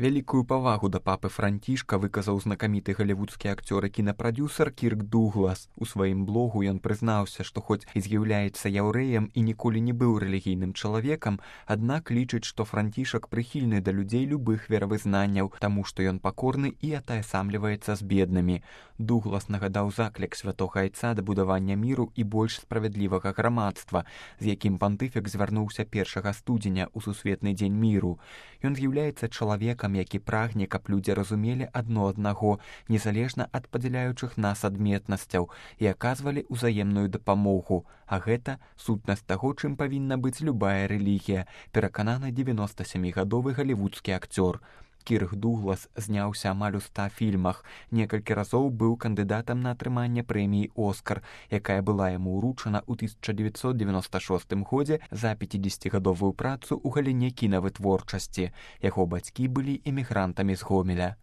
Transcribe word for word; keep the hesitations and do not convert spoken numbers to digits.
Вялікую павагу да папы Францішка выказаў знакаміты галівудскі акцёр і кінапрадюсер Кірк Дуглас. У сваім блогу ён прызнаўся, што хоць і з'яўляецца яўрэем і ніколі не быў рэлігійным чалавекам, аднак лічыць, што Францішак прыхільны да людзей любых веравызнанняў, таму што ён пакорны і атаясамліваецца з беднымі. Дуглас нагадаў заклік святога айца да будавання міру і больш справядлівага грамадства, з якім пантыфік звярнуўся першага студзеня ў сусветны дзень міру. Ён з'яўляецца чалавекам, які прагне, каб людзі разумелі адно аднаго, незалежна ад падзяляючых нас адметнасцяў, і аказвалі ўзаемную дапамогу. А гэта сутнасць таго, чым павінна быць любая рэлігія, перакананы дзевяностасямігадовы галівудскі акцёр. Кірк Дуглас зняўся амаль у ста фільмах. Некалькі разоў быў кандыдатам на атрыманне прэміі «Оскар», якая была яму ўручана ў тысяча дзевяцьсот девяносто шостым годзе за пяцідзесяцігадовую працу ў галіне кінавытворчасці. Яго бацькі былі эмігрантамі з Гомеля.